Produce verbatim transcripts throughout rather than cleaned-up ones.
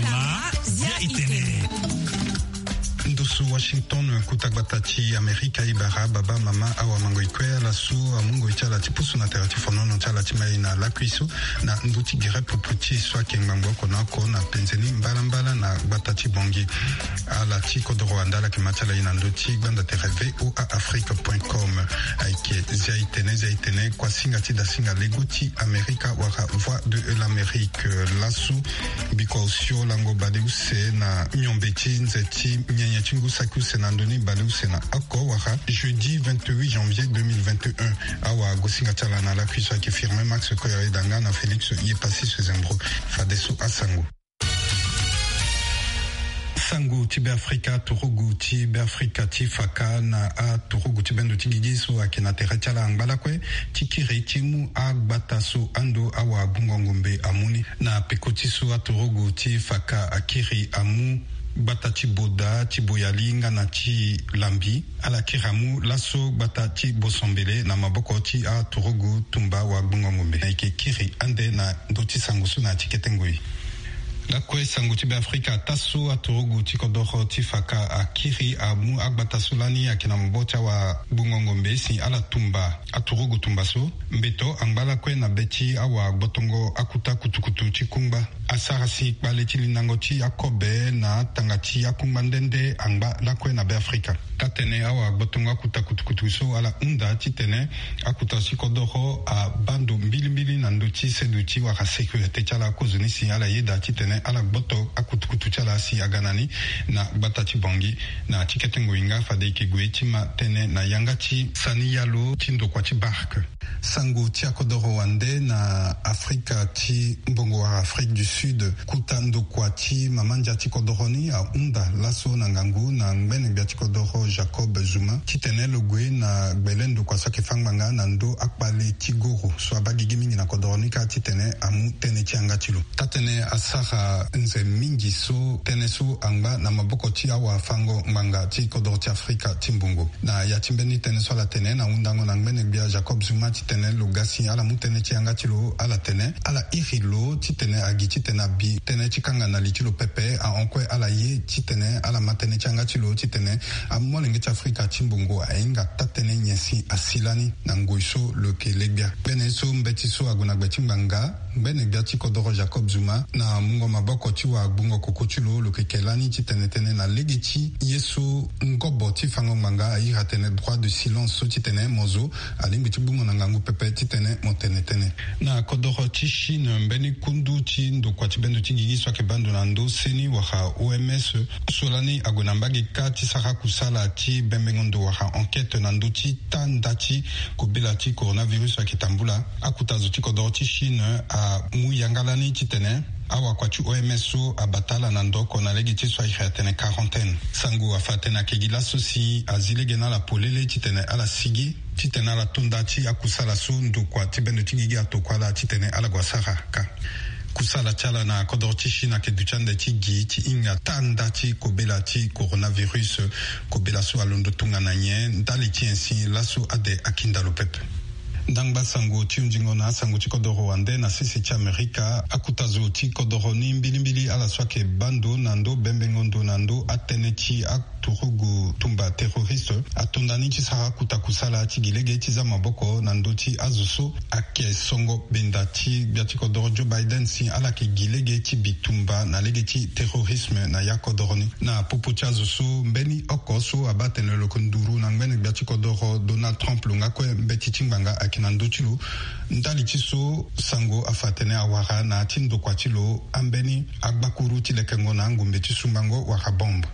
Ama zia itene. Ndusu Washington, kuta gbata ti Amerika, e bara baba, mama, awa, mango, ikue, ala so amu ngoi ti ala ti pusu na tere ti fonono ti ala ti mai na lakui so, na ndö ti gere pupu ti e so ayeke ngbangbo oko na oko na penze ni mbalambala na gbata ti Bangui. Ala ti kodoro wande ala yeke ma ti ala ye na ndö ti gbanda tere V O A Afrique point com. Ayeke zia itene, zia itene, kuasinga ti dasinga lego ti Amerika wala Voix de l'Amérique. Laso, biko osio lango baleuse na miombe ti nze ti nyenye ti ngu saki use na ndö ni baleuse na oko wala jeudi vingt-huit janvier deux mille vingt et un. Awa, gosinga ti ala na lakui so ayeke Firmin Max Koyore Danga na Félix Yepassis Zembro. Fadeso asango. Sango ti Beafrika, turugu ti Beafrika ti faka na aturugu ti bendo ti gigi so ayeke na tere ti ala angba lakue ti kiri ti mu agbata so ando awagbungo ngombe amu ni. Na peko ti so aturugu ti faka akiri amu gbata ti Boda, ti Boyali nga na ti Lambi. Ala kiri amu laso gbata ti Bosombele na maboko ti aturugu tumba wagbungo ngombe. Ayeke kiri ande na ndö ti sango so na ya ti kete ngoi. Lakue sango ti Beafrika, taa so aturugu ti kodoro ti faka akiri amu agbata so lani ayeke na maboko ti awagbungo ngombe si ala tumba aturugu tumba so. Mbeto angba lakue na be ti awagbotongo akuta kutukutu ti kungba. Asara si kpale ti lindango ti akobe na atanga ti akungba nde nde angba lakue na Beafrika. Taa-tene awagbotongo akuta kutukutu so ala hunda titene akuta ti kodoro abaa ndo mbilimbili na ndö ti seduti wala sécurité ti ala. Kozoni si ala yeda titene ala gboto akutukutu ti ala si aga na ni na gbata ti Bangui. Na ti kete ngoi nga fade e yeke gue ti ma tënë na yanga ti sani yalo ti ndokua ti barke. Sango ti akodoro wande na Afrika ti mbongo wala Afrique du Sud, kuta ndokua ti mama ndia ti kodoro ni ahunda laso na ngangu na ngbene gbia ti kodoro Jacob Zuma titene lo gue na gbele ndokua so ayeke fâ ngbanga na ndö akpale ti goro so abaa gigi mingi na kodoro ni kâ titene amu tënë ti yanga ti lo. Taa-tënë asara nze mingi so tënë so angba na maboko ti awafango ngbanga ti kodoro ti Afrika ti mbongo. Na ya ti mbeni tënë so ala tene na hundango na ngbene gbia Jacob Zuma titene lo ga si ala mu tënë ti yanga ti lo, ala tene ala iri lo titene agi titene abi tënë ti kanga na li ti lo pepe. Ahon kue ala ye titene ala ma tënë ti yanga ti lo titene amolenge ti Afrika ti mbongo ahinga taa-tënë nyen si asi lani na ngoi so lo yeke le gbia. Mbeni so mbeti so ague na gbe ti ngbanga, ngbene gbia ti kodoro Jacob Zuma na mungo maboko ti wagbungo koko ti lo, lo yeke ke lani titene tënë na lege ti ye so ngobo ti fango ngbanga airi atene droit de silence so titene mo zo alingbi ti gbu mo na ngangu pepe titene mo tene tënë. Na kodoro ti Chine, mbeni kundu ti ndokua ti bendo ti gigi so ayeke baa ndo na ndö seni wala O M S so lani ague na mbage kâ ti sara kusala ti bembengo ndo wala enquête na ndö ti taa nda ti kobela ti coronavirus ayeke tambula. Akuta zo ti kodoro ti Chine amu yanga lani titene awakua ti O M S so abata ala na ndo oko na lege ti so airi atene quarantaine. Sango afa atene ayeke gi laso si azi lege na ala polele titene ala sigi titene ala to nda ti akusala so ndokua ti bendo ti gigi atokua ala titene ala gue asara kâ. Kusala ti ala na kodoro ti Chine ayeke duti ande ti gi ti hinga taa nda ti kobela ti coronavirus. Kobela so alondo tongana nyen ndali ti nyen si laso ade akinda lo pepe. Ndangba sango ti hunzingo na asango ti kodoro wande na sese ti Amerika, akuta zo ti kodoro ni mbilimbili ala so ayeke baa ndo na ndö bembengo ndo na ndö atënë ti a turugu tumba terroriste ato nda ni ti sara akuta kusala ti gi lege ti za maboko na ndö ti azo so ayeke songo benda ti gbia ti kodoro Joe Biden si ala yeke gi lege ti bitumba na lege ti terrorisme na ya kodoro ni. Na popo ti azo so mbeni oko so abaa atene lo yeke nduru na ngbene gbia ti kodoro Donald Trump lo nga kue mbeti ti ngbanga ayeke na ndö ti lo. Ndali ti so sango afa atene awara na ya ti ndokua ti lo ambeni agbakuru ti lekengo na angombe ti sumbango wala bombe.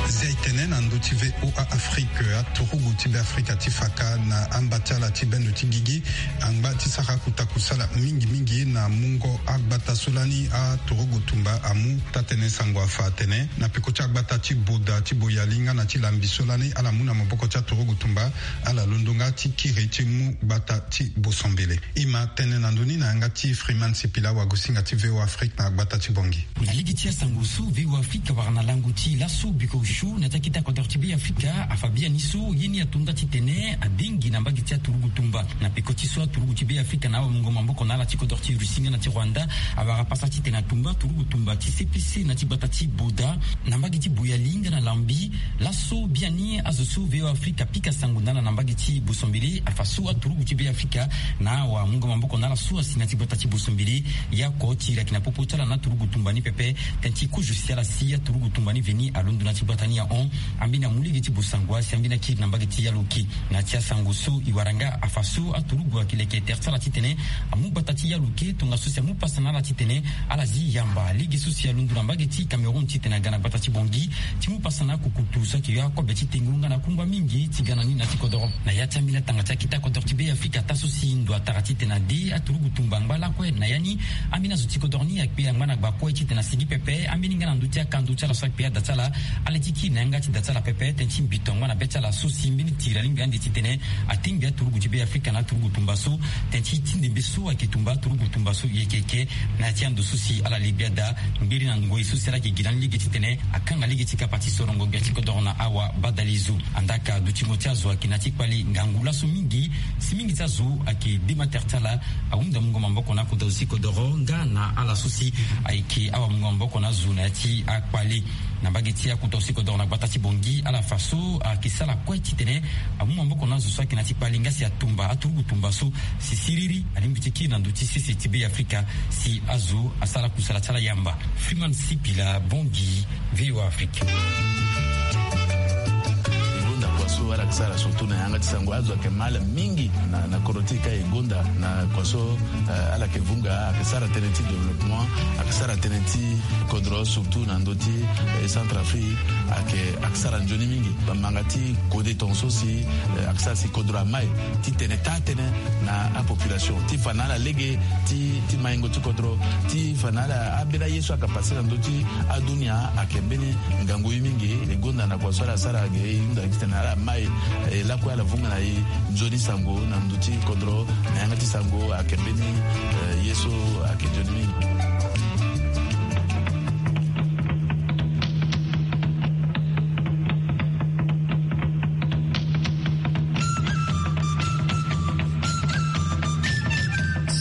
Zia e tene na ndö ti V O A Afrique. Turugu ti Beafrika ti fa ka na amba ti ala ti bendo ti gigi angba ti sara akuta kusala mingi mingi na mungo agbata so lani aturugu tumba amu. Taa-tënë sango afa atene na peko ti agbata ti Boda, ti Boyali nga na ti Lambi so lani ala mu na maboko ti aturugu tumba, ala londo nga ti kiri ti mu gbata ti Bosombele. E ma tene na ndoni na yanga ti Freeman Sipila, wagosinga ti V O A Afrique na gbata ti Bangui. Na lege ti asango so V O A Afrique awara na lango ti laso biko osio na ti akita kodoro ti Beafrika afa biani so ye ni atonda titene adengi na mbage ti aturugu tumba. Na peko ti so aturugu ti Beafrika na awamungo maboko na ala ti kodoro ti Russie nga na ti Rwanda awara pasa titene atumba aturugu tumba ti C P C na ti gbata ti Boda na mbage ti Boyali nga na Lambi. Laso biani azo so V O A Afrique apika sango na ala na mbage ti Bosombele afa so aturugu ti Beafrika na awamungo maboko na ala so asi na ti gbata ti Bosombele. Ya oko ti iri ayeke na popo ti ala na aturugu tumba ni pepe. Tënë ti kozo si ala si aturugu tumba ni veni alondo na ti gbata ni ahon. Ambeni amu lege ti bosango asi ambeni akiri na mbage ti Yaloke. Na ti asango so e wara nga afa so aturugu ayeke leke tere ti ala titene amu gbata ti Yaloke tongaso si amu pasa na ala titene ala zi yamba lege so si alondo na mbage ti Cameroun titene aga na gbata ti Bangui ti mu pasa na akukutu so ayeke yo akobe ti tengo nga na akungba mingi ti ga na ni na ti kodoro. Na ya ti ambeni atanga ti akita kodoro ti Beafrika taa so si ndo atara titene ade aturugu tumba angba lakue na ya ni, ambeni azo ti kodoro ni akpe angba na gba kue titene asigi pepe ambeni nga na ndö ti akando ti ala so akpe ada ti ala. Ale ti kiri na yanga ti da ti ala pepe tënë ti mbito angba na be ti ala so si mbeni tiri alingbi ande titene atingbi aturugu ti Beafrika na aturugu tumba so. Tënë ti ti ndembe so ayeke tumba aturugu tumba so e yeke eke na ya ti ando so si ala lingbi ada ngbiri na ngoi so si ala yeke gi na ni lege titene akanga lege ti kapa ti sorongo gbia ti kodoro na awa badalezo. Andaa ka dutingo ti azo ayeke na ti kpale ngangu laso mingi. Si mingi ti azo ayeke dema tere ti ala ahunda mungo maboko na akota zo ti kodoro nga na ala so si ayeke awamungo maboko na azo na ya ti akpale. Na mbage ti akota zo ti kodoro na gbata ti Bangui ala fa so ayeke sara kue titene amu maboko na azo so ayeke na ti kpale nga si atumba aturugu tumba so si siriri alingbi ti kiri na ndö ti sese ti Beafrika si azo asara kusala ti ala yamba. Freeman Sipila, Bangui, V O A Afrique. E gonda kua so ala yeke sara surtout na yanga ti sango azo ayeke mal mingi na, na kodro ti e ka e gonda na kua so, eh, ala yeke vunga, ayeke sara tënë ti développement, ayeke sara tënë ti kodro surtout na ndö ti, eh, Centrafrique, ayeke, ayeke sara nzoni mingi. Bamanga ti kode tongaso si, eh, ayeke sara si kodro amai titene taa-tënë na apopulation ti fa na ala lege ti, ti maingo ti kodro, ti fa na ala ambeni aye so ayeke pase na ndö ti adunia ayeke mbeni ngangu ye mingi. E gonda na kua so ala sara ge e hunda titene ala mai, eh, lakue ala vunga na e nzoni sango na ndö ti kodro na yanga ti sango ayeke mbeni, eh, ye so ayeke nzoni mingi.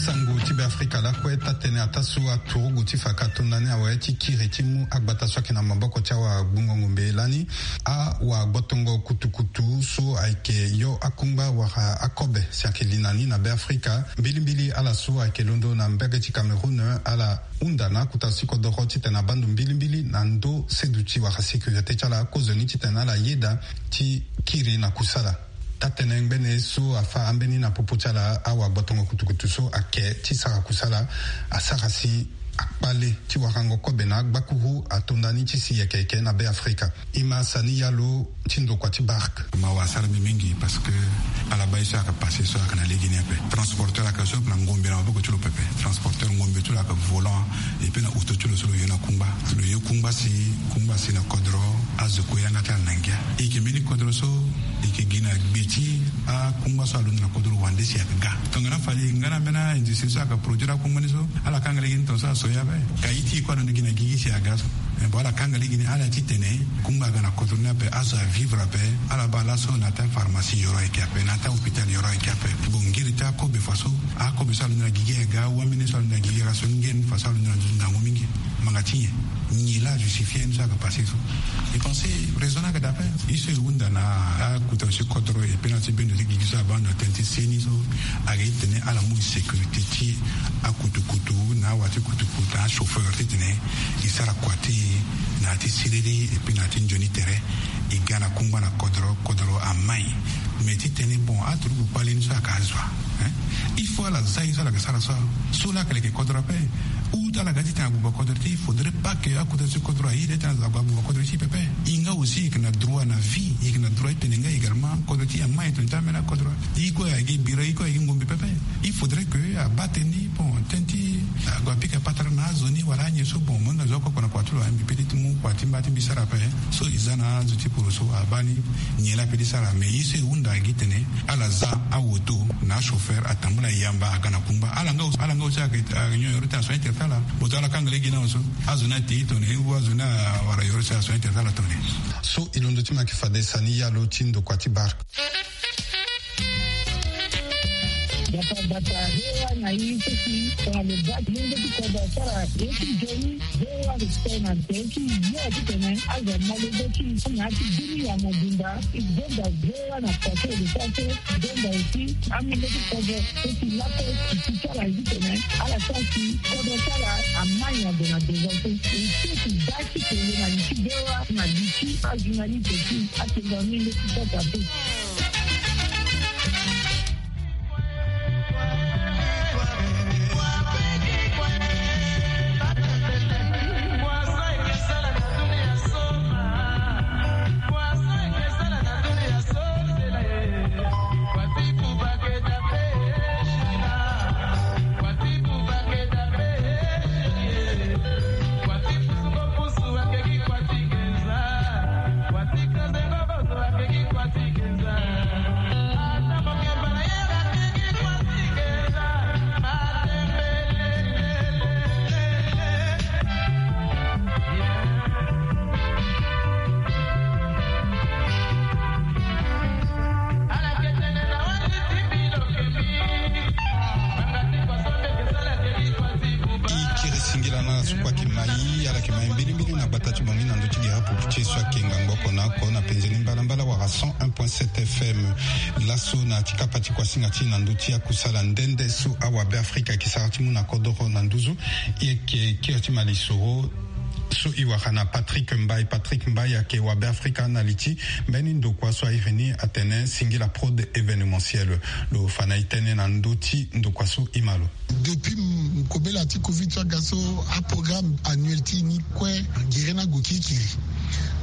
Sango ti Beafrika lakue taa-tënë ataa so aturugu ti fa ka to ndani awe ti kiri ti mu agbata so ayeke na maboko ti awagbungo ngombe lani. Awagbotongo kutukutu so ayeke yo akungba wala akobe si ayeke li na ni na Beafrika, mbilimbili ala so ayeke londo na mbage ti Cameroun, ala hunda na akota ti kodoro titene abaa ndo mbilimbili na ndö seduti wala sécurité ti ala, kozoni titene ala yeda ti kiri na kusala. Taa-tënë ngbene so afa ambeni na popo ti ala, awagbotongo kutukutu so ayeke ti sara kusala asara si akpale ti warango kobe na agbakuru ato ndani ti si yeke yeke na Beafrika. E ma sani yalo ti ndokua ti barke. Mawa asara mbi mingi parce que ala baa ye so ayeke pase so ayeke na lege ni ape. Transporteur ayeke so na ngombe na maboko ti lo pepe. Transporteur ngombe ti lo ayeke volant, et puis na oto ti lo so lo yo na kungba. Lo yo kungba si, kungba si na kodro azo kue yanga ti ala na ngia. E yeke mbeni kodro so e yeke gi na gbe ti akungba so alondo na kodro wande si ayeke ga. Tongana fade nga na mbeni aindustrie so ayeke produire akungba ni so, ala kanga lege ni tongaso aso ye ape. Ka ye ti e kue alondo gi na gigi si aga so. Eh, bon, ala kanga lege ni ala titene kungba aga na kodro ni ape, azo avivre ape. Ala baa laso na taa pharmacie yoro ayeke ape, na taa hôpital yoro ayeke ape. Bon, ngiri ti akobe faso, akobe so alondo na gigi aga, wambene so alondo na gigi aga so, ngiri ni faso alondo na nduzu ngangu mingi. Manga ti nyen? Nyen laa ajustifie ye ni so ayeke pase so? E pense raison ni ayeke daa ape. Ye so e hunda na akota zo ti kodro, e pe na ti bendo ti gigi so abaa ndo na tënë ti seni so, ayeke titene ala mu sécurité ti akutukutu na awa ti kutukutu na achauffeur titene e sara kua ti e na ya ti siriri, et puis na ya ti nzoni tere. E ga na kungba na kodro, kodro amai. Mais titene bon, aturugu kpale ni so ayeke azo wa, hein? Il faut ala za ye so ala yeke sara so. So laa ayeke leke kodro ape. Ou ti ala ga titene abuba kodro ti e, il faudrait pas que akota ti kodro aye titene aza abuba kodro ti e pepe. E nga aussi e yeke na droit na vie, e yeke na droit ti tene nga également kodro ti e amaï tongana ti ambeni akodro. E kue ayeke bira, e kue ayeke ngombe pepe. Il faudrait que abaa tënë ni, bon, tënë ti ague apika patara na azo ni wala anyen so, bon, mo hinga zo oko oko na kua ti lo, mbi peut ti mu kua ti mba ti mbi sara ape. So e za na azo ti poro so abaa ni nyen laa ape ti sara. Mais ye so e hunda gi tene ala za awoto na achauffeur atambula e yamba aga na kungba. Ala nga aussi, ala nga aussi ayeke, ayeke nyon yoro ti asoin ti tene ti ala. Boto ala kanga lege na azo so azo ni ate e tongana nyen, ou azo ni awara yoro ti asoin ti tene ti ala tongana nyen. So e londo ti ma yeke fade sani yalo ti ndokua ti bark. Bata bata, V O A na e so si tongana lo baa ti lenge ti kodro asara ye ti nzoni, V O A respect na nze ti yo titene azo ama lege ti e na ya ti bini ya mobimba. E gonda V O A na façon e lo sara so, e gonda aussi amolenge ti kodro so si laso e si ti ala ye titene ala sara si kodro ti ala amaï ague na devant so. E so si baa ti kele na li ti V O A na li ti ajournaliste ti atengo amolenge ti kodro ape. E kiri singila na ala so kue ayeke ma e, ala yeke ma e mbilimbili na gbata ti Bangui na ndö ti gere apupu ti e so ayeke ngangu oko na oko na penze ni mbalambala wala cent un point sept F M. Laso na ya ti kapa ti kuasinga ti e na ndö ti akusala nde nde so awabe Afrika ayeke sara ti mu na kodoro na nduzu, e yeke kiri ti ma lisoro so e wara na Patrick Mbaye. Patrick Mbaye ayeke wabe Afrika na li ti mbeni ndokua so a iri ni atene Singila Prod Événementiel. Lo fa na e tënë na ndö ti ndokua so, e ma lo. Depuis m-, kobela ti covid so aga so, aprogramme annuel ti e ni kue gere ni ague kirikiri.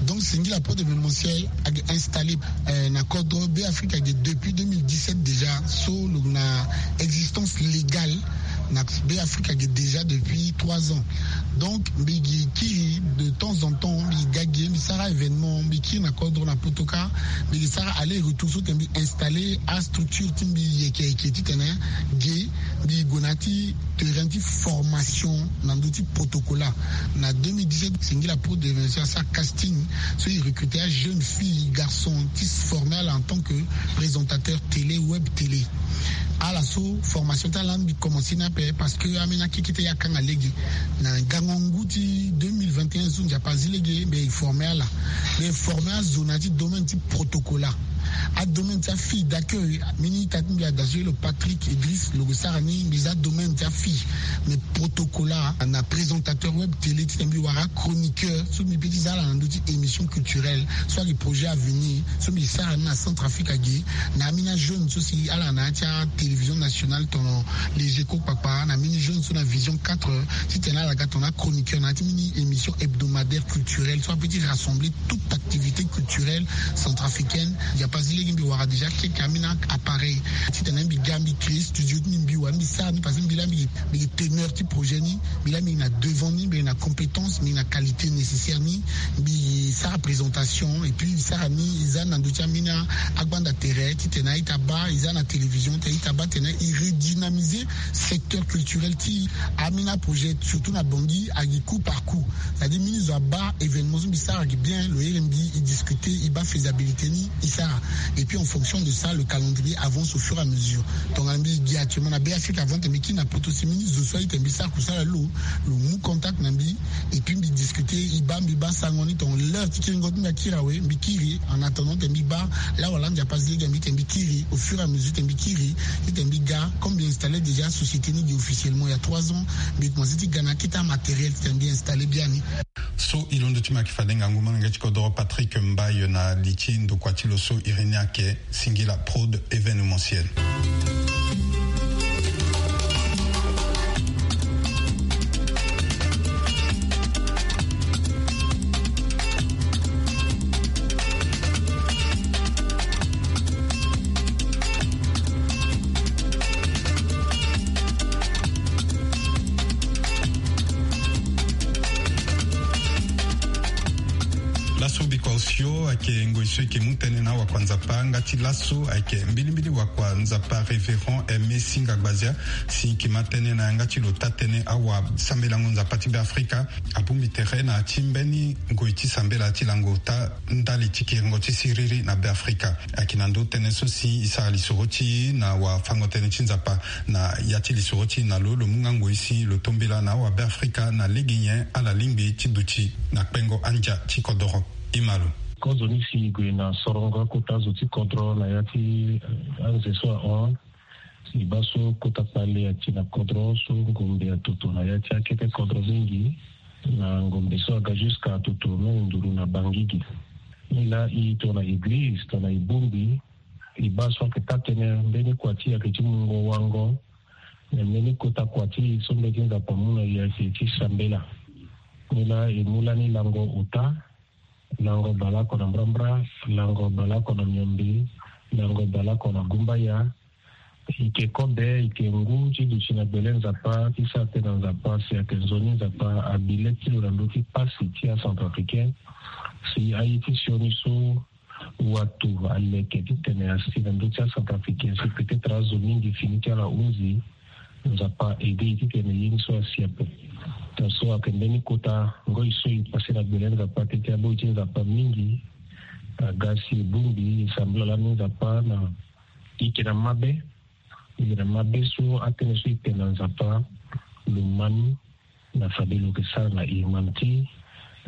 Donc Singila Prod Événementiel ayeke installé, euh, na kodro Be Afrika ge depuis deux mille dix-sept déjà, so lo na existence légale na Be Afrika ge déjà depuis trois ans. Donc mbi gi kiri de temps en temps, mbi ga ge, mbi sara événement, mbi kiri na kodro na Potoka, mbi gi sara aller-retour so tene mbi installé astructure ti mbi yeke yeke titene ge, mbi gue na ya ti terrain ti formation na ndö ti Potokola. Na deux mille dix-sept, Singila Prod Événementiel asara casting, so e recruter ajeune fille, garçon, ti former ala en tant que présentateur télé, web télé. Ala so formation ti ala ni mbi commencer ni ape parce que ambeni akeke ti e akanga lege. Na gango ngu ti deux mille vingt et un so Nzapa azi lege, mbi former ala. Mbi former azo na ya ti domaine ti Potokola. Adomaine ti afille d'accueil, mbeni ita ti mbi ada so elo Patrick Idriss, lo gue sara ni, mbi za domaine ti afille. Mais Potokola na présentateur web télé titene mbi wara achroniqueur so mbi peut ti za ala na ndö ti émission culturelle so ayeke projet à venir so mbi sara ni na Centrafrique age. Na ambeni ajeune so si ala na ya ti atélévision nationale tongana Les Echos kpakpa, na ambeni jeune so na Vision quatre, titene ala ga tongana achroniqueur na ya ti mbeni émission hebdomadaire culturelle so apeut ti rassembler toute activité culturelle centrafricaine. Nzapa azi lege mbi wara déjà quelques ambeni appareil titene mbi ga mbi créer studio ti mbi, mbi wara mbi sara ni parce que mbi laa mbi, mbi teneur ti projet ni, mbi laa mbi na devant ni, mbi na compétence, mbi na qualité nécessaire ni. Mbi sara présentation et puis mbi sara ni, e za ni na ndö ti ambeni agbanda tere titene a-ita abaa, e za na télévision titene a-ita abaa, titene e redynamiser secteur culturel ti ambeni aprojet, surtout na Bangui, agi coup par coup. C'est-à-dire mbeni zo abaa événement so mbi sara agi bien, lo here mbi, e discuter, e baa faisabilité ni, e sara. Et puis en fonction de ça, le calendrier avance au fur et à mesure. Tongana mbi gi actuellement na Be Afrika avant titene mbi kiri na poto si mbeni zo so aye titene mbi sara kusala lo, lo mu contact na mbi, et puis mbi discuter, e baa, mbi baa sango ni tongana l'heure ti kiringo ti mbi akiri awe, mbi kiri. En attendant titene mbi baa laa wala Nzapa azi lege mbi titene mbi kiri, au fur et à mesure titene mbi kiri, titene mbi ga, comme mbi installer déjà société ni gi officiellement il y a trois ans, mbi commencer ti ga na akete amatériel titene mbi installer biani. So e londo ti ma yeke fade ngangu, molenge ti kodoro Patrick Mbaye na li ti ndokua ti lo so iri ni ayeke Singila Prod Événementiel. Yo ayeke ngoi so e yeke mu tënë na awakua Nzapa nga ti laso ayeke mbilimbili wakua Nzapa Révérend Aimé Singa Gbazia, si e yeke ma tënë na yanga ti lo taa-tënë awasambela-ngo Nzapa ti Beafrika abongbi tere na ya ti mbeni ngoi ti sambela ti lango ota ndali ti kiringo ti siriri na Beafrika. Ayeke na ndö tënë so si e sara lisoro ti e na wafango-tënë ti Nzapa. Na ya ti lisoro ti e na lo, lo mu nga ngoi si lo tombela na awabeafrika na lege nyen ala lingbi ti duti na kpengo andia ti kodoro. E ma lo. Kozoni si e gue na sorongo akota zo ti kodro na ya ti, eh, anze so ahon. Si e baa so kota kpale ati na kodro so ngombe atoto na ya ti akete kodro mingi, na ngombe so aga jusqu'à atoto même nduru na Bangigi. Nilaa e tongana eglize tongana e bongbi, e baa so ayeke taa-tënë mbeni kua ti e ayeke ti mungo wango. Na mbeni kota kua ti e so mbeti Nzapa amu na e ayeke ti sambela. Nilaa e mu lani lango ota, lango baleoko na mbrambra, lango baleoko na miombe, lango baleoko na gumbaya. E yeke kobe, e yeke ngu ti duti na gbele Nzapa ti sara tënë na Nzapa si ayeke nzoni Nzapa abi le ti lo na ndö ti pasi ti acentrafricain. Si aye ti sioni so wato aleke titene asi na ndö ti acentrafricain si peut-être azo mingi fini ti ala hunzi, Nzapa aide e titene ye ni so asi ape. Tongaso ayeke mbeni kota ngoi so e pase na gbele Nzapa teti aboi ti Nzapa mingi. Aga si e bongbi e sambela lani Nzapa na e yeke na mabe. E yeke na mabe so atënë so e tene na Nzapa lo ma ni na fade lo yeke sara na e. Mani ti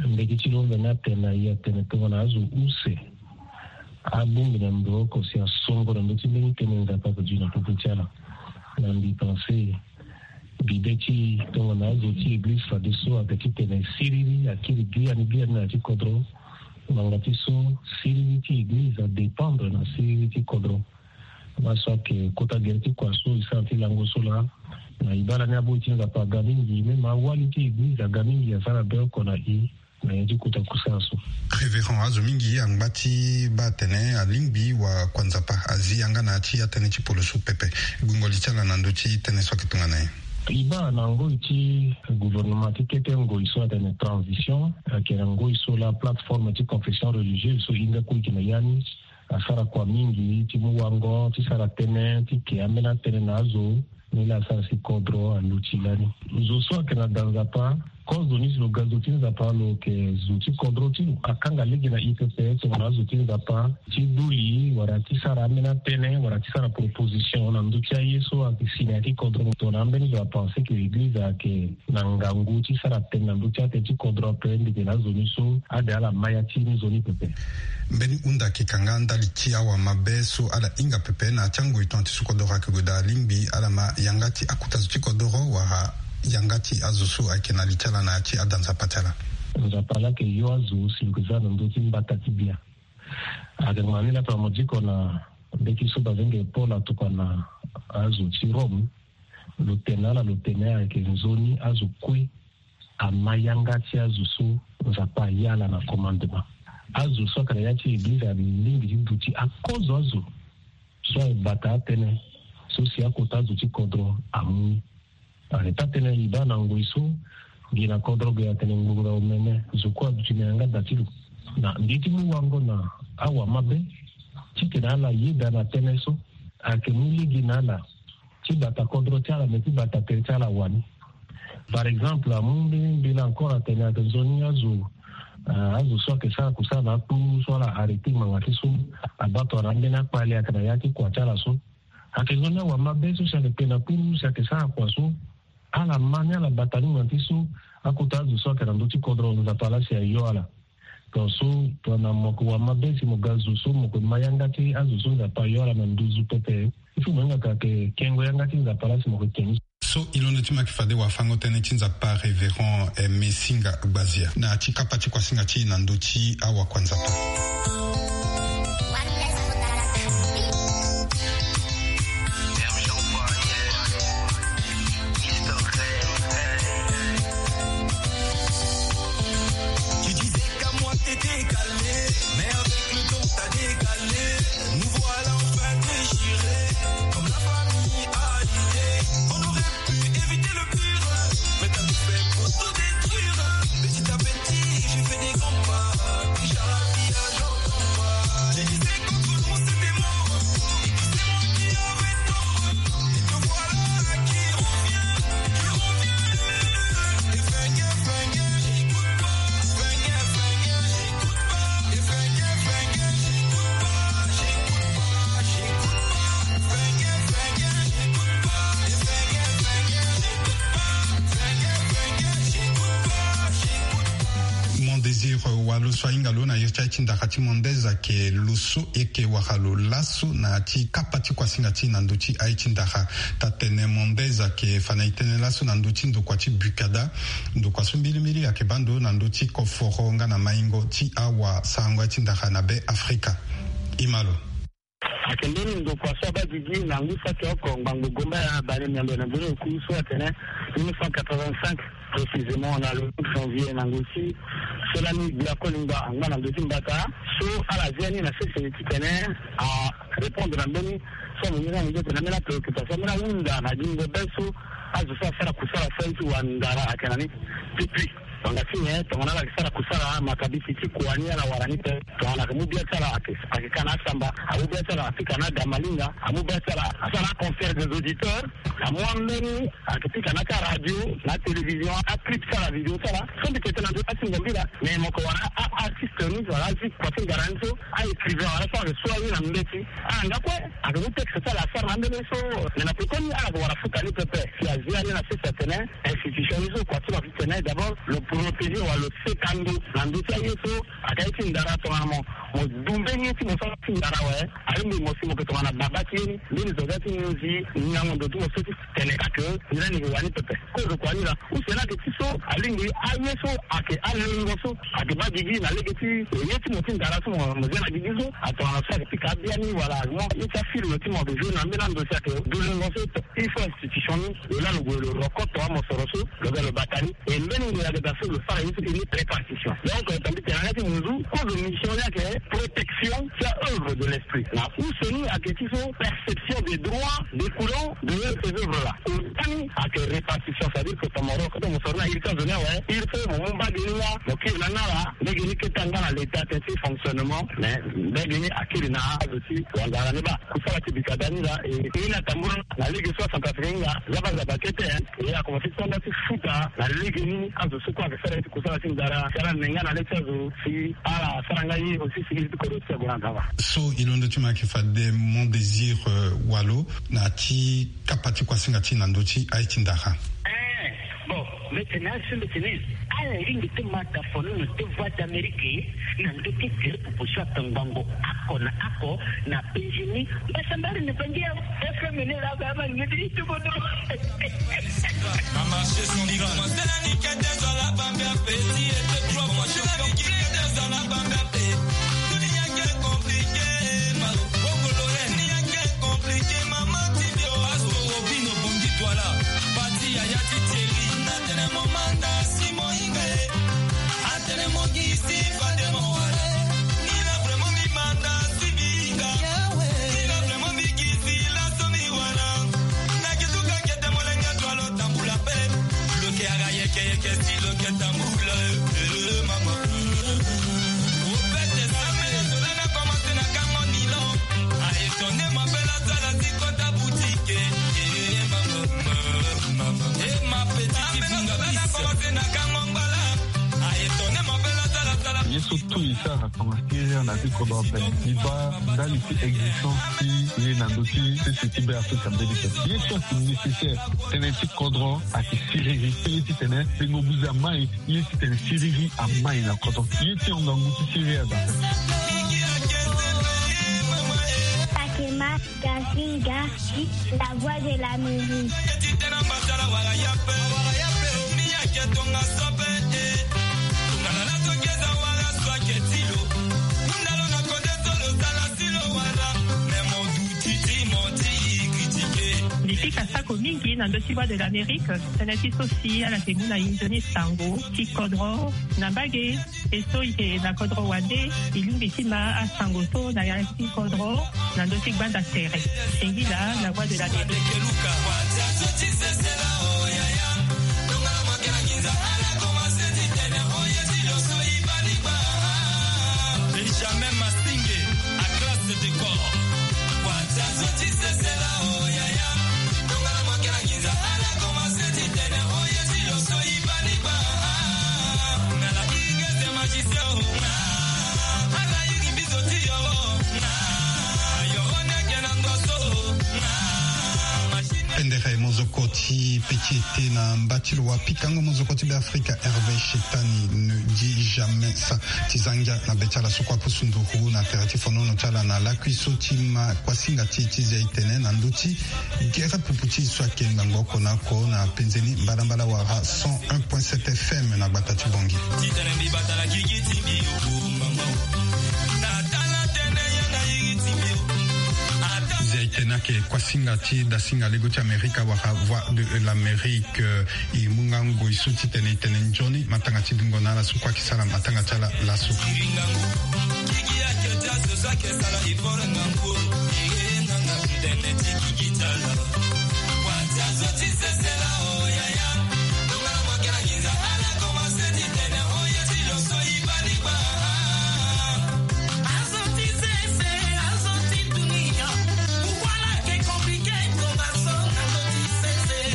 mbeti ti lo mvene atene na e atene tongana azo use abongbi na mbe oko si asongo na ndö ti mbeni tënë Nzapa ape duti na popo ti ala. Na mbi pense bibe ti e tongana azo ti eglize fadeso ayeke titene siriri akiri biani biani na ya ti kodro. Ngbanga ti so siriri ti eglize adépendre na siriri ti kodro. Laso ayeke kota gere ti kua so e sara ti lango so laa. Na e baa lani aboi ti Nzapa aga mingi, même awali ti eglize aga mingi asara be oko na e. Na ya ti kota kusala so. Révérend, azo mingi angba ti baa atene alingbi wakua Nzapa azi yanga na ya ti atënë ti polo so pepe. Gungo li ti ala na ndö ti tënë so ayeke tongana nyen? E baa na ngoi ti gouvernement ti kete ngoi so atene transition, ayeke na ngoi so laa plateforme ti confession religieuse so e hinga kue e yeke na ya ni. Asara kua mingi ti mu wango ti sara tënë ti ke ambeni atënë na azo. Ni laa asara si kodro aluti lani. Zo so ayeke na da Nzapa, kozoni si lo ga zo ti Nzapa lo yeke zo ti kodro ti lo. Akanga lege na e pepe tongana azo ti Nzapa ti duli wala ti sara ambeni atënë wala ti sara proposition na ndö ti aye so ayeke si na ya ti kodro. Tongana ambeni zo apense ke eglize ayeke na ngangu ti sara tënë na ndö ti atënë ti kodro ape, mbi yeke na azo ni so ade ala ma ya ti ni zo ni pepe. Mbeni hunda ayeke kanga ndali ti awamabe so ala hinga pepe na ya ti angoi tongana ti so kodoro ayeke gue daa, alingbi ala ma yanga ti akota zo ti kodoro wala yanga ti azo so ayeke na li ti ala na ya ti ada Nzapa ti ala. Nzapa laa ayeke yo azo si lo yeke za na ndö ti mbata ti bia. Ayeke ma ni laa tongana mo diko na mbeti so bazenge Paul atokua na azo ti Rome. Lo tene na ala, lo tene ayeke nzoni azo kue ama yanga ti azo so Nzapa aya ala na commandement. Azo so ayeke na ya ti eglize alingbi ti duti akozo azo so abata atënë so si akota azo ti kodro amu ni. Ane taa-tënë e baa na ngoi so gi na kodro ge atene ngbonga omene zo kue aduti na yanga da ti lo. Na mbi ti mu wango na awamabe titene ala yeda na tënë so ayeke mu lege na ala ti bata kodro ti ala me ti bata tere ti ala wani. Par exemple amu mbeni mbela encore atene ayeke nzoni azo, ah, azo so ayeke sara kusala na akpuru so ala arrêté ngbanga ti so abaa tongana ambeni akpale ayeke na ya ti kua ti ala so. Ayeke nzoni awamabe so si ayeke kpe na kpuru si ayeke sara kua so ala ma ni ala bata ni ngbanga ti so akota azo so ayeke na ndö ti kodro Nzapa laa si ayo ala. Tongaso tongana mo yeke wamabe si mo ga zo so mo yeke ma yanga ti azo so Nzapa ayo ala na nduzu pepe. Il faut mo hinga ka yeke kengo yanga ti Nzapa laa si mo yeke ke ni. So e londo ti mo ayeke fade wafango-tënë ti Nzapa Révérend Aimé Singa Gbazia na ya ti kapa ti kuasinga ti e na ndö ti awakua Nzapa. Tu disais qu'à moi t'étais calé, mais avec le temps t'as décalé. Nous voilà enfin déchirés, comme la famille a idée. On aurait pu éviter le pire, mais t'as tout fait pour tout détruire. Petit à petit, j'ai fait des grands pas. Déjà la vie a Lo so ahinga lo na iri ti aye ti ndara ti Mondez ayeke lo so e yeke wara lo laso na ya ti kapa ti kuasinga ti e na ndö ti aye ti ndara. Taa-tene Mondez ayeke fa na e tënë laso na ndö ti ndokua ti Bukada. Ndokua so mbilimbili ayeke baa ndo na ndö ti koforo nga na maingo ti awasarango aye ti ndara na Be Afrika. E ma lo. Ayeke mbeni ndokua so abaa gigi na ngu saki oko ngbangbo gomba ya bale miambe na mbeni oku so atene mille neuf cent quatre-vingt-cinq, précisément na le huit janvier na ngu ti so lani gbia kolingba angba na ndö ti mbata so ala zia ni na sese titene arépondre na mbeni so amongi na ndö titene ambeni apréoccupation ambeni ahunda na gingo be so azo so asara kusala so aye ti wandara ayeke na ni. Depuis Wanga ti nyen? Tongana ala yeke sara kusala matabisi ti kua ni ala wara ni pe. Tongana ayeke mu bia ti ala ayeke, ayeke ka na asamba, amu bia ti ala apika na adamalinga, amu bia ti ala asara aconcert des auditeurs, amu ambeni ayeke pika na aka radio, na atélévision, aclip ti ala, avidéo ti ala. So mbi yeke tene na ndo ti asingo mbila, mais mo yeke wara a-artiste ni wala azi kua ti ngara ni so, a-écrivain wala so ayeke so aye na mbeti. Ala nga kue ayeke mu texte ti ala asara na ambeni so. Mais na pekoni ala yeke wara futa ni pepe. Si azi ani na sese atene institution ni so kua ti lo afi tene d'abord lo protéger wala lo seka ndo na ndö ti aye so ayeke aye ti ndara tongana mo, mo du mbeni ye ti mo so aye ti ndara awe. Alingbi mo si mo yeke tongana baba ti ye ni mbeni zo ga ti nginzi ngango ndo ti mo so ti tene ka ke ni lani yeke wani pepe. Kozo kua ni laa use ni ayeke ti so alingbi aye so ayeke alengo so ayeke baa gigi na lege ti ye ti mo ti ndara so mo, mo zia na gigi so atongana so ayeke pika abia ni wala mo ye ti afilme ti mo ayeke joue na mbeni ando si ayeke du lengo so. Il faut institution ni lo laa lo gue lo rokoto amosoro so lo ga lo bata ni. E mbeni ngoi ayeke daa so lo sara ye so e ni répartition. Donc, euh, tambi tene na ya ti munzu kozo mission ni ayeke protection ti a-œuvre de l'esprit. Na use ni ayeke ti so perception des droits découlant de ces œuvres là. Ota ni ayeke répartition, c'est-à-dire que tongana mo rokoto mosoro ni na iri ti azo ni awe, il faut mo mu mbage ni nga mo kiri na nga laa, mbage ni kete angba na l'état tene ti fonctionnement, mais mbage ni akiri na azo ti wandara ni baa. Kusala ti bika da ni laa e, e ni atambula na lege so acentrafricain nga zaba zaba kete, hein. E akomanse ti sanda ti futa na lege ni azo so kue ayeke sara ye ti kusala ti ndara si ala ne nga na le ti azo si ala sara nga ye aussi si iri ti kodro ti ague na nzapa. So e londo ti mo ayeke fade Mon Désir, euh, Walo na ti kapa ti kuasinga ti na ndö ti aye ti ndara. Eh, bon, mbi tene azo so mbi tene ala lingbi ti ma dafono na ti Voix d'Amérique na ndö ti tele popo so atongbango ako na ako na penzi ni. Mbasambari na bangi ya F M ni la ba ma ngeti ituko do. Ye so tout e sara tongana siriri na ti kodro ape. E baa ndali ti existence ti ye na ndö ti sese ti Be Afrika mbeni so. Ye so ayeke nécessaire tënë ti kodro ayeke siriri. Ye titene tengo buze amai, ye titene siriri amai na kodro. Ye ti hon ngangu ti siriri adaa. Gazinga, la voix de l'Amérique. Mbi pika sako mingi na ndö ti Voix de l'Amérique, tënë ti so si ala yeke mu na e nzoni sango ti kodro na mbage. E so e yeke na kodro wande, e lingbi ti ma asango so na ya ti kodro na ndö ti gbanda tere. Singila, la voix de l'Amérique. Benjamin Masinge, à classe de corps. Pendere mozoko Ti peki ete na mba ti lo wa pikango mozoko ti Beafrika Hervé Chetani ne dit jamais ça. Ti za ngia na be ti ala so kue apusu nduru na tere ti fonono ti ala na lakui so ti ma kuasinga ti e ti zia e tene na ndö ti gere pupu ti e so ayeke ngbangbo oko na oko na penzeni mbalambala wala cent un point sept F M na gbata ti Bangui. Titene mbi bata na gigi ti mbi o, mama. Na tala tene ya na iri ti mbi o. Ata zia e tene ayeke kuasinga ti dasinga lego ti Amerika wala Voix de l'Amérique. E mu nga ngoi so titene e tene nzoni matanga ti dungo na ala so kue ayeke sara matanga ti ala laso.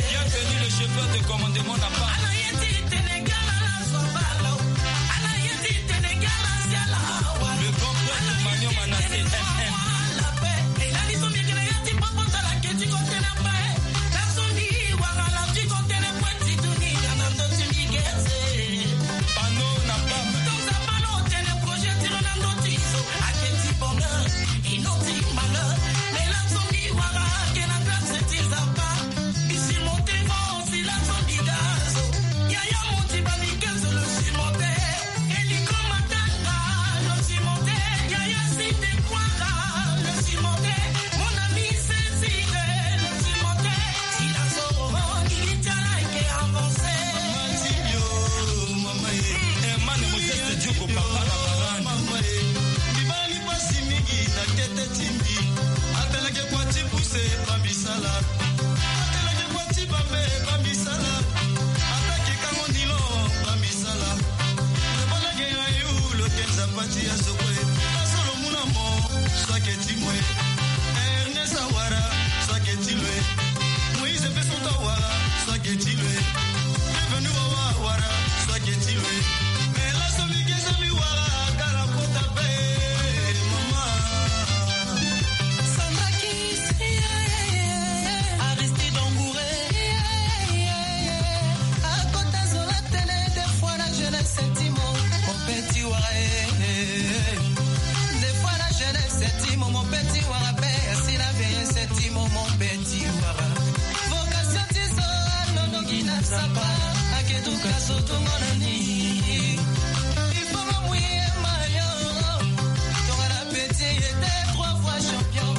Bienvenue, le chauffeur de commandement n'a pas. Le grand prêtre Emmanuel Manassé, M M. Panneau n'a pas. Pasi mingi na kete ti mbi. Ata leke kua ti puse, bambisala. Ata leke kua ti bambe, bambisala. Ata ke kango nilo, bambisala. Lo bala ke ayu, lo ke Nzapa ti azo kue. Azo lo mu na mo, so ayeke ti mo e. Ernest awara, so ayeke ti lo e. Moïse Peso Tawara, so ayeke ti lo e. Bienvenue Wawa awara, so ayeke ti lo e. Mais laso mbi ke so mbi wara, kara kota be, mama. Sandra Kiss, Aristide Engouré, akota zola tene, des fois la jeunesse ti mo, mon petit wara, eh. Des fois la jeunesse ti mo, mon petit wara, pe si la vieillesse ti mo, mon petit wara. Vocation ti zo, anondoki na Nzapa, ake duka zo tongo na ni. Il faut mo mouiller maillot. Tongana petit était trois fois champion.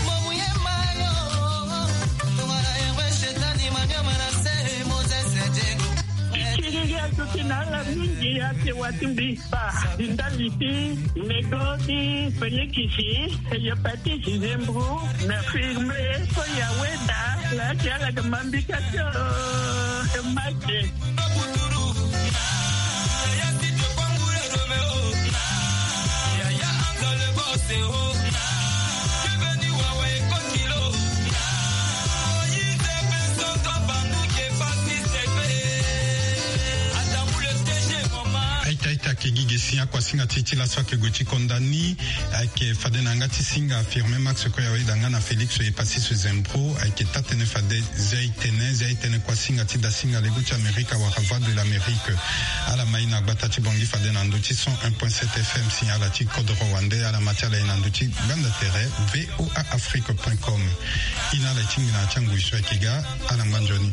Mo mouiller maillot. Tongana Hervé Chetani, Manuel Manassé, Moses Diego. Ti kiri azo ti na ala mingi ake wa ti mbi. Ba, di ndali ti mego ti Felix, hépatite, zembro, na firme, so ya weda, la ti ala ke mambi ka ti, eh, make. Aita, aita, ake gi ge si akuasinga ti e ti laso ake gue ti konda ni. Ayeke fade na yanga ti singa Firmin Max Koyaweda nga na Félix Epassis Zembro. Ayeke taa-tënë fade zia e tene, zia e tene kuasinga ti dasinga lego ti Amerika wala Voix de l'Amérique. Ala ma e na gbata ti Bangui fade na ndö ti cent un point sept F M si ala ti kodoro wande, ala ma ti ala e na ndö ti gbanda tere V O A Afrique point com. E na ala e ti ngbina ti angui so ayeke ga. Ala ngba nzoni.